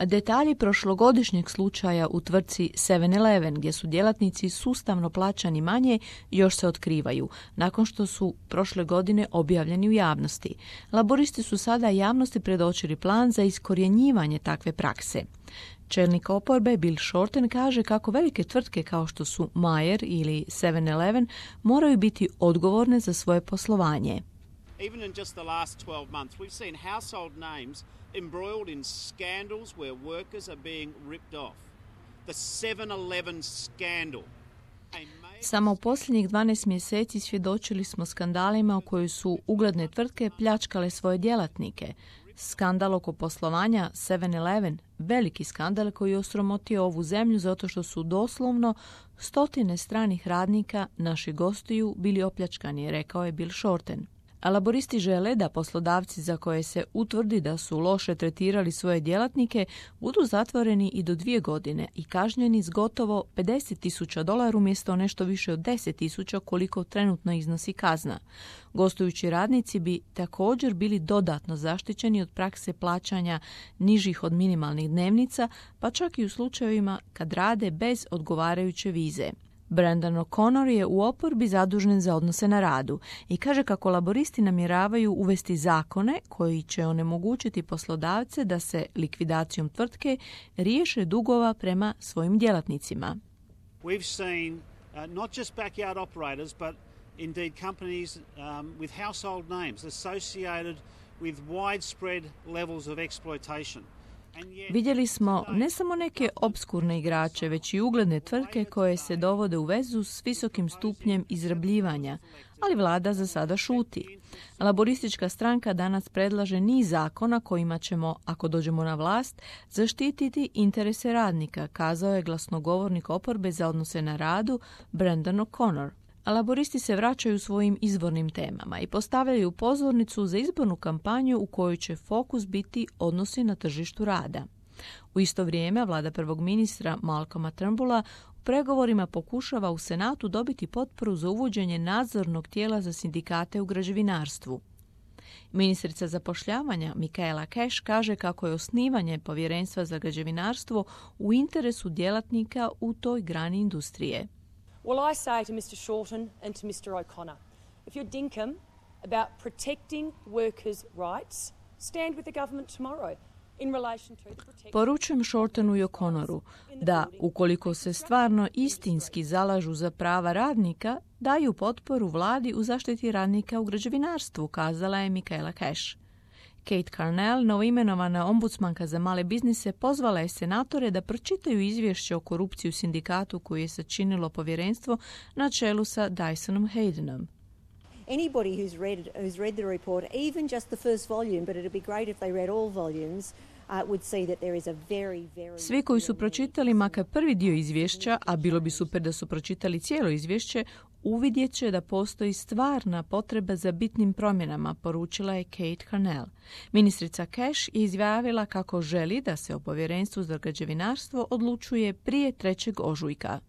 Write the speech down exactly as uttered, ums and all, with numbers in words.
Detalji prošlogodišnjeg slučaja u tvrtci seven eleven, gdje su djelatnici sustavno plaćani manje, još se otkrivaju, nakon što su prošle godine objavljeni u javnosti. Laboristi su sada javnosti predočili plan za iskorjenjivanje takve prakse. Čelnik oporbe Bill Shorten kaže kako velike tvrtke kao što su Meijer ili seven eleven moraju biti odgovorne za svoje poslovanje. Even in just the last twelve months, we've seen household names embroiled in scandals where workers are being ripped off. The seven eleven scandal. Samo u posljednjih dvanaest mjeseci svjedočili smo skandalima u kojoj su ugledne tvrtke pljačkale svoje djelatnike. Skandal oko poslovanja seven eleven, veliki skandal koji je osramotio ovu zemlju zato što su doslovno stotine stranih radnika, naših gostiju, bili opljačkani, rekao je Bill Shorten. A laboristi žele da poslodavci za koje se utvrdi da su loše tretirali svoje djelatnike budu zatvoreni i do dvije godine i kažnjeni s gotovo pedeset tisuća dolara umjesto nešto više od deset tisuća koliko trenutno iznosi kazna. Gostujući radnici bi također bili dodatno zaštićeni od prakse plaćanja nižih od minimalnih dnevnica, pa čak i u slučajevima kad rade bez odgovarajuće vize. Brandon O'Connor je u oporbi zadužen za odnose na radu i kaže kako laboristi namjeravaju uvesti zakone koji će onemogućiti poslodavce da se likvidacijom tvrtke riješe dugova prema svojim djelatnicima. We've seen uh, not just backyard operators, but indeed companies um, with household names associated with widespread levels of exploitation. Vidjeli smo ne samo neke obskurne igrače, već i ugledne tvrtke koje se dovode u vezu s visokim stupnjem izrabljivanja, ali vlada za sada šuti. Laboristička stranka danas predlaže niz zakona kojima ćemo, ako dođemo na vlast, zaštititi interese radnika, kazao je glasnogovornik oporbe za odnose na radu Brandon O'Connor. A laboristi se vraćaju svojim izvornim temama i postavljaju pozornicu za izbornu kampanju u kojoj će fokus biti odnosi na tržištu rada. U isto vrijeme vlada prvog ministra Malcolma Turnbulla u pregovorima pokušava u Senatu dobiti potporu za uvođenje nadzornog tijela za sindikate u građevinarstvu. Ministrica zapošljavanja Michaela Cash kaže kako je osnivanje povjerenstva za građevinarstvo u interesu djelatnika u toj grani industrije. Well, I say to mister Shorten and to mister O'Connor, if you're dinkum about protecting workers' rights, stand with the government tomorrow. Poručujem Shortenu i O'Connoru da, ukoliko se stvarno istinski zalažu za prava radnika, daju potporu vladi u zaštiti radnika u građevinarstvu, kazala je Michaela Cash. Kate Carnell, novoimenovana ombudsmanka za male biznise, pozvala je senatore da pročitaju izvješće o korupciji u sindikatu koju je sačinilo povjerenstvo na čelu sa Dysonom Haydenom. Anybody who's read who's read the report, even just the first volume, but it'd be great if they read all volumes, uh, would see that there is a very, very... Svi koji su pročitali makar prvi dio izvješća, a bilo bi super da su pročitali cijelo izvješće, uvidjet će da postoji stvarna potreba za bitnim promjenama, poručila je Kate Carnell. Ministrica Cash je izjavila kako želi da se o povjerenstvu za građevinarstvo odlučuje prije trećeg ožujka.